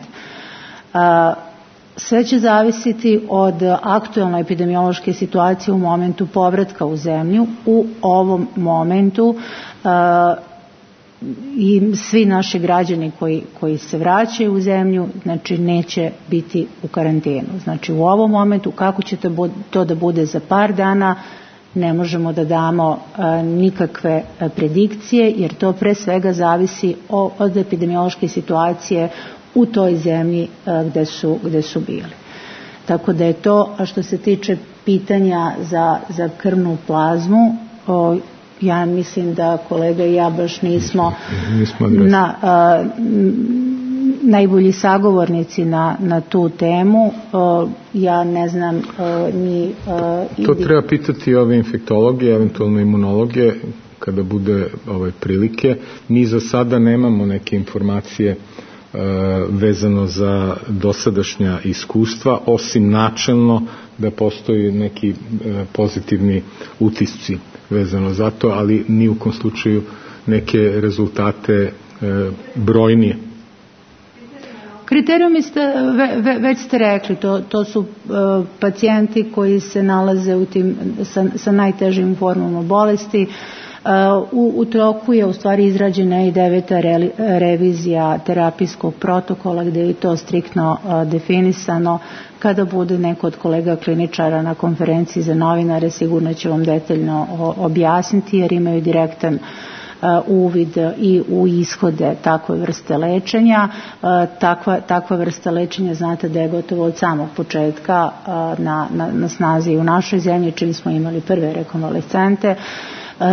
Sve će zavisiti od aktuelne epidemiološke situacije u momentu povratka u zemlju. U ovom momentu i svi naši građani koji, koji se vraćaju u zemlju, znači neće biti u karantenu. Znači u ovom momentu kako će to, to da bude za par dana ne možemo da damo a, nikakve a, predikcije jer to pre svega zavisi o, od epidemiološke situacije u toj zemlji gde su, gde su bili. Tako da je to, a što se tiče pitanja za, za krvnu plazmu, o, ja mislim da kolega i ja baš nismo, nismo na, a, najbolji sagovornici na, na tu temu. O, ja ne znam o, ni... O, to treba pitati ove infektologe, eventualno imunologe, kada bude ove prilike. Mi za sada nemamo neke informacije vezano za dosadašnja iskustva, osim načelno da postoji neki pozitivni utisci vezano za to, ali ni u kom slučaju neke rezultate brojnije. Kriterijumi ste, ve, već ste rekli, to, to su uh, pacijenti koji se nalaze u tim, sa, sa najtežim formama bolesti. Uh, u, u toku je u stvari izrađena i deveta re, revizija terapijskog protokola gdje je to striktno uh, definisano. Kada bude neko od kolega kliničara na konferenciji za novinare, sigurno će vam detaljno objasniti jer imaju direktan uh, uvid i u ishode takve vrste lečenja. Uh, takva, takva vrsta lečenja znate da je gotovo od samog početka uh, na, na, na snazi u našoj zemlji, čim smo imali prve rekonvalescente. Uh,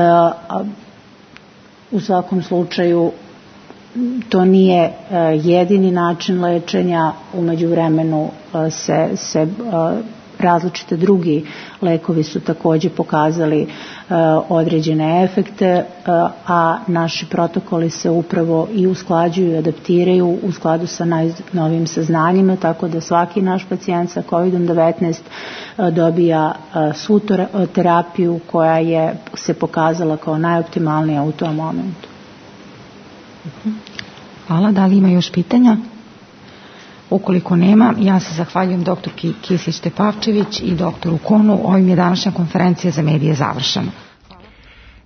u svakom slučaju to nije uh, jedini način lečenja, u međuvremenu uh, se, se uh, različite drugi lekovi su također pokazali uh, određene efekte, uh, a naši protokoli se upravo i usklađuju i adaptiraju u skladu sa najnovijim saznanjima, tako da svaki naš pacijent sa kovid devetnaest uh, dobija uh, svu terapiju koja je se pokazala kao najoptimalnija u tom momentu. Hvala. Da li ima još pitanja? Ukoliko nema, ja se zahvaljujem doktorki Kisić-Tepavčević i doktoru Konu. Ovim je današnja konferencija za medije završena.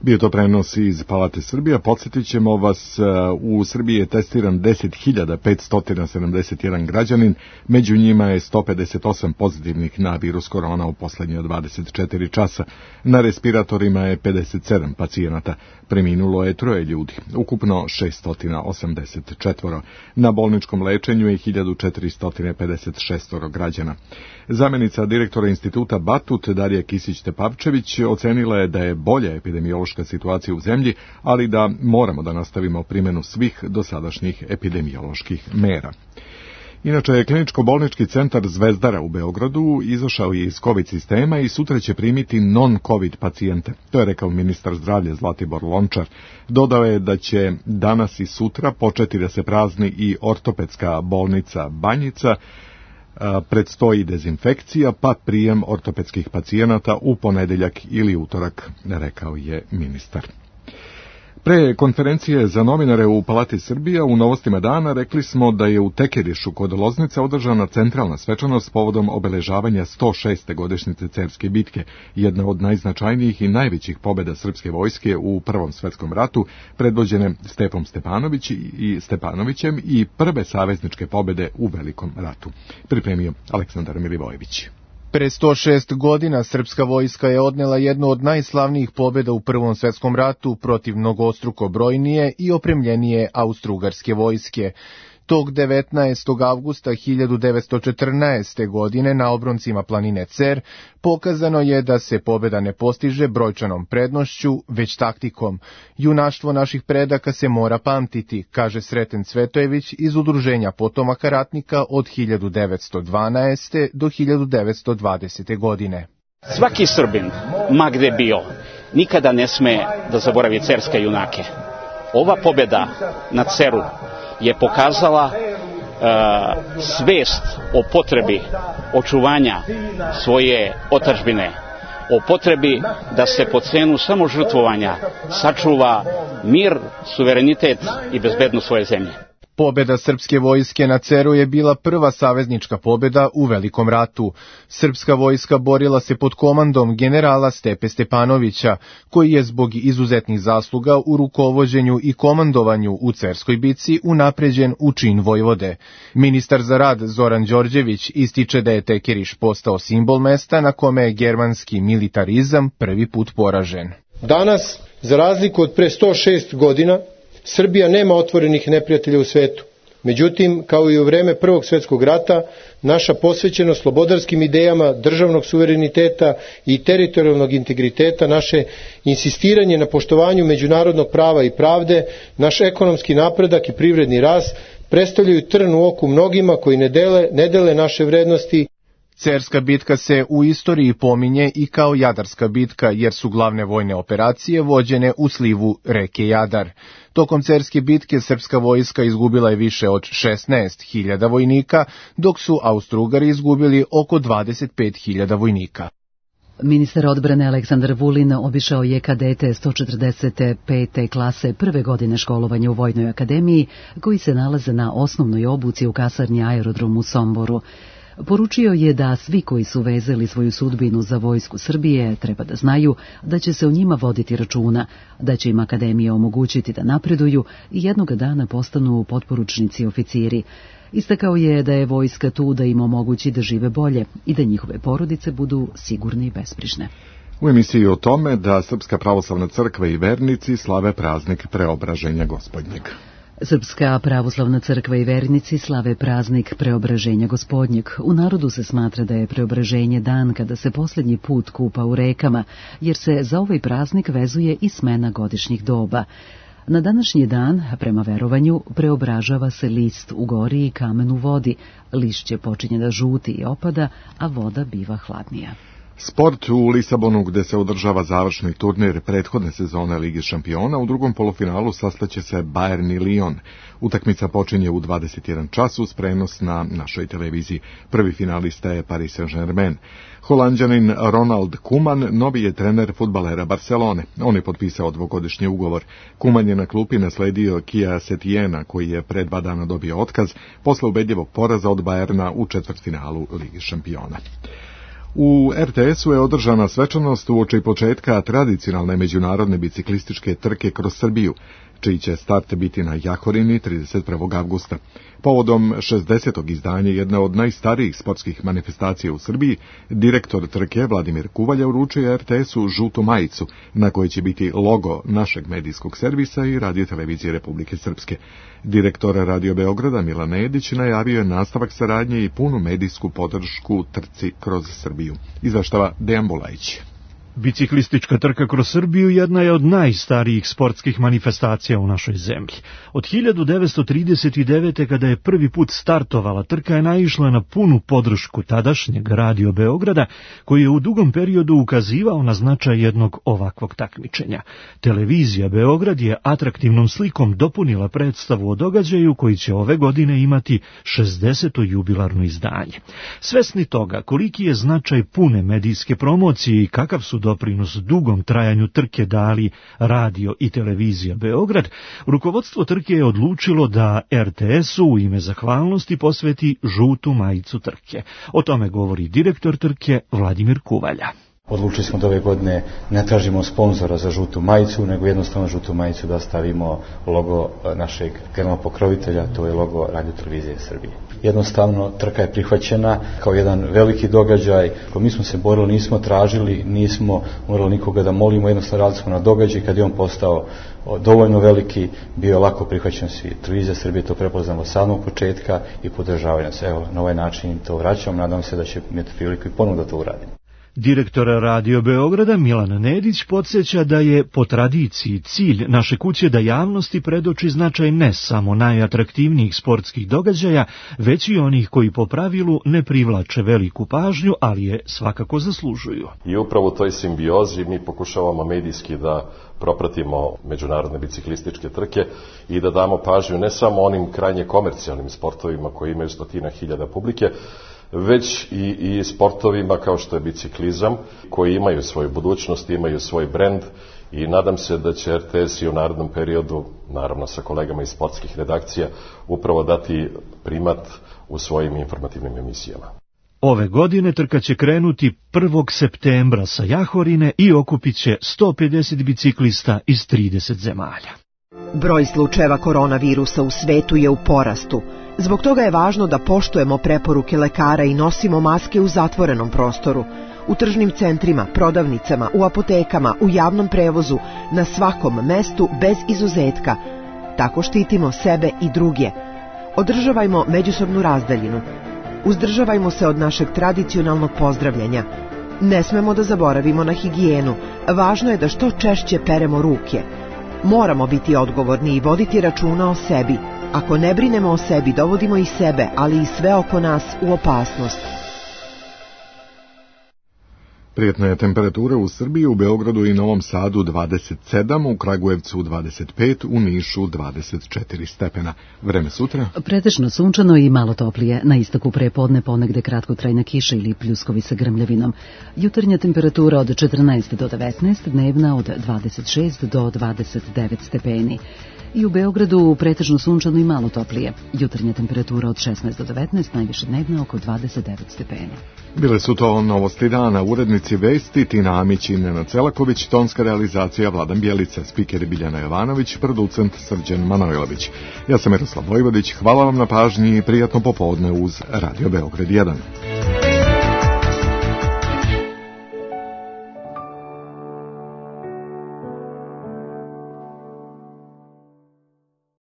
Bio to prenos iz Palate Srbija. Podsjetit ćemo vas, u Srbiji je testiran deset hiljada petsto sedamdeset jedan građanin, među njima je sto pedeset osam pozitivnih na virus korona u poslednje dvadeset četiri časa. Na respiratorima je pedeset sedam pacijenata, preminulo je troje ljudi, ukupno šesto osamdeset četiri. Na bolničkom lečenju je hiljadu četiristo pedeset šest građana. Zamenica direktora instituta Batut Darija Kisić-Tepavčević ocenila je da je bolja epidemiološka situacija u zemlji, ali da moramo da nastavimo primjenu svih dosadašnjih epidemioloških mera. Inače, kliničko-bolnički centar Zvezdara u Beogradu izašao je iz COVID sistema i sutra će primiti non-COVID pacijente. To je rekao ministar zdravlja Zlatibor Lončar. Dodao je da će danas i sutra početi da se prazni i ortopedska bolnica Banjica, predstoji dezinfekcija, pa prijem ortopedskih pacijenata u ponedeljak ili utorak, rekao je ministar. Pre konferencije za novinare u Palati Srbija u Novostima dana rekli smo da je u Tekerišu kod Loznice održana centralna svečanost povodom obeležavanja sto šeste godišnjice Cerske bitke, jedna od najznačajnijih i najvećih pobjeda srpske vojske u Prvom svetskom ratu, predvođene Stepom Stepanović i Stepanovićem i prve savezničke pobjede u Velikom ratu. Pripremio Aleksandar Milivojević. Pre sto šest godina srpska vojska je odnela jednu od najslavnijih pobjeda u Prvom svetskom ratu protiv mnogostruko brojnije i opremljenije austrougarske vojske. Tog devetnaestog avgusta hiljadu devetsto četrnaeste. godine na obroncima planine Cer pokazano je da se pobjeda ne postiže brojčanom prednošću, već taktikom. Junaštvo naših predaka se mora pamtiti, kaže Sreten Cvetojević iz Udruženja potomaka ratnika od hiljadu devetsto dvanaeste. do hiljadu devetsto dvadesete. godine. Svaki Srbin, ma gde bio, nikada ne sme da zaboravi cerske junake. Ova pobjeda na Ceru je pokazala uh, svest o potrebi očuvanja svoje otadžbine, o potrebi da se po cenu samožrtvovanja sačuva mir, suverenitet i bezbednost svoje zemlje. Pobjeda srpske vojske na Ceru je bila prva saveznička pobjeda u Velikom ratu. Srpska vojska borila se pod komandom generala Stepe Stepanovića, koji je zbog izuzetnih zasluga u rukovođenju i komandovanju u Cerskoj bici unapređen u čin vojvode. Ministar za rad Zoran Đorđević ističe da je Tekeriš postao simbol mesta na kome je germanski militarizam prvi put poražen. Danas, za razliku od pre sto šest godina, Srbija nema otvorenih neprijatelja u svetu. Međutim, kao i u vreme Prvog svjetskog rata, naša posvećenost slobodarskim idejama državnog suvereniteta i teritorijalnog integriteta, naše insistiranje na poštovanju međunarodnog prava i pravde, naš ekonomski napredak i privredni rast predstavljaju trn u oku mnogima koji ne dele, ne dele naše vrednosti. Cerska bitka se u istoriji pominje i kao Jadarska bitka, jer su glavne vojne operacije vođene u slivu reke Jadar. Tokom Cerske bitke srpska vojska izgubila je više od šesnaest hiljada vojnika, dok su Austro-Ugari izgubili oko dvadeset pet hiljada vojnika. Ministar odbrane Aleksandar Vulin obišao je kadete sto četrdeset pete klase prve godine školovanja u Vojnoj akademiji, koji se nalaze na osnovnoj obuci u kasarni Aerodrom u Somboru. Poručio je da svi koji su vezali svoju sudbinu za vojsku Srbije treba da znaju da će se o njima voditi računa, da će im akademija omogućiti da napreduju i jednoga dana postanu potporučnici i oficiri. Istakao je da je vojska tu da im omogući da žive bolje i da njihove porodice budu sigurne i besprižne. U emisiji o tome da Srpska pravoslavna crkva i vernici slave praznik Preobraženja Gospodnjeg. Srpska pravoslavna crkva i vernici slave praznik Preobraženja Gospodnjeg. U narodu se smatra da je Preobraženje dan kada se posljednji put kupa u rekama, jer se za ovaj praznik vezuje i smena godišnjih doba. Na današnji dan, prema verovanju, preobražava se list u gori i kamen u vodi. Lišće počinje da žuti i opada, a voda biva hladnija. Sport u Lisabonu, gde se održava završni turnir prethodne sezone Lige šampiona, u drugom polufinalu sastaće se Bayern i Lyon. Utakmica počinje u dvadeset jedan čas uz prenos na našoj televiziji. Prvi finalista je Paris Saint-Germain. Holanđanin Ronald Koeman novi je trener fudbalera Barcelone. On je potpisao dvogodišnji ugovor. Koeman je na klupi nasledio Kia Setiena, koji je pre dva dana dobio otkaz posle ubedljivog poraza od Bayerna u četvrtfinalu Lige šampiona. U er te esu je održana svečanost uoči početka tradicionalne međunarodne biciklističke trke kroz Srbiju, čiji će start biti na Jahorini trideset prvog avgusta. Povodom šezdesetog izdanja jedne od najstarijih sportskih manifestacija u Srbiji, direktor trke Vladimir Kuvalja uručio er te esu žutu majicu, na kojoj će biti logo našeg medijskog servisa i Radio-televizije Republike Srpske. Direktor Radio Beograda Milan Nedić najavio je nastavak saradnje i punu medijsku podršku trci kroz Srbiju. Izveštava Dejan Bulajić. Biciklistička trka kroz Srbiju jedna je od najstarijih sportskih manifestacija u našoj zemlji. Od hiljadu devetsto trideset devete. kada je prvi put startovala trka je naišla na punu podršku tadašnjeg Radio Beograda, koji je u dugom periodu ukazivao na značaj jednog ovakvog takmičenja. Televizija Beograd je atraktivnom slikom dopunila predstavu o događaju koji će ove godine imati šezdeseto jubilarno izdanje. Svesni toga koliki je značaj pune medijske promocije i kakav su doprinos dugom trajanju trke dali Radio i Televizija Beograd, rukovodstvo trke je odlučilo da er te esu u ime zahvalnosti posveti žutu majicu trke. O tome govori direktor trke Vladimir Kuvalja. Odlučili smo da ove godine ne tražimo sponzora za žutu majicu, nego jednostavno žutu majicu da stavimo logo našeg generalnog pokrovitelja, to je logo Radio-televizije Srbije. Jednostavno, trka je prihvaćena kao jedan veliki događaj. Ko mi smo se borili, nismo tražili, nismo morali nikoga da molimo, jednostavno radili smo na događaj. Kad je on postao dovoljno veliki, bio je lako prihvaćen svi. Televizija Srbije to prepoznamo od samog početka i podržavaju nas. Evo, na ovaj način to vraćam, nadam se da će imati priliku i ponovno da to uradim. Direktor Radio Beograda Milan Nedić podsjeća da je po tradiciji cilj naše kuće da javnosti predoči značaj ne samo najatraktivnijih sportskih događaja, već i onih koji po pravilu ne privlače veliku pažnju, ali je svakako zaslužuju. I upravo u toj simbiozi mi pokušavamo medijski da propratimo međunarodne biciklističke trke i da damo pažnju ne samo onim krajnje komercijalnim sportovima koji imaju stotina hiljada publike, već i, i sportovima kao što je biciklizam, koji imaju svoju budućnost, imaju svoj brend i nadam se da će er te es i u narednom periodu, naravno sa kolegama iz sportskih redakcija, upravo dati primat u svojim informativnim emisijama. Ove godine trka će krenuti prvog septembra sa Jahorine i okupit će sto pedeset biciklista iz trideset zemalja. Broj slučajeva koronavirusa u svetu je u porastu. Zbog toga je važno da poštujemo preporuke lekara i nosimo maske u zatvorenom prostoru, u tržnim centrima, prodavnicama, u apotekama, u javnom prevozu, na svakom mestu bez izuzetka. Tako štitimo sebe i druge. Održavajmo međusobnu razdaljinu. Uzdržavajmo se od našeg tradicionalnog pozdravljanja. Ne smemo da zaboravimo na higijenu. Važno je da što češće peremo ruke. Moramo biti odgovorni i voditi računa o sebi. Ako ne brinemo o sebi, dovodimo i sebe, ali i sve oko nas u opasnost. Prijetna je temperatura u Srbiji, u Beogradu i Novom Sadu dvadeset sedam, u Kragujevcu dvadeset pet, u Nišu dvadeset četiri stepena. Vreme sutra? Pretežno sunčano i malo toplije. Na istoku prepodne ponegde kratkotrajna kiša ili pljuskovi sa grmljavinom. Jutarnja temperatura od četrnaest do devetnaest, dnevna od dvadeset šest do dvadeset devet stepeni. I u Beogradu pretežno sunčano i malo toplije. Jutarnja temperatura od šesnaest do devetnaest, najviše dnevna oko dvadeset devet stepeni. Bile su to novosti dana, urednici vesti Tina Amić i Nenad Celaković, tonska realizacija Vladan Bjelica, spiker Biljana Jovanović, producent Srđan Manojlović. Ja sam Miroslav Vojvodić, hvala vam na pažnji i prijatno popodne uz Radio Beograd jedan.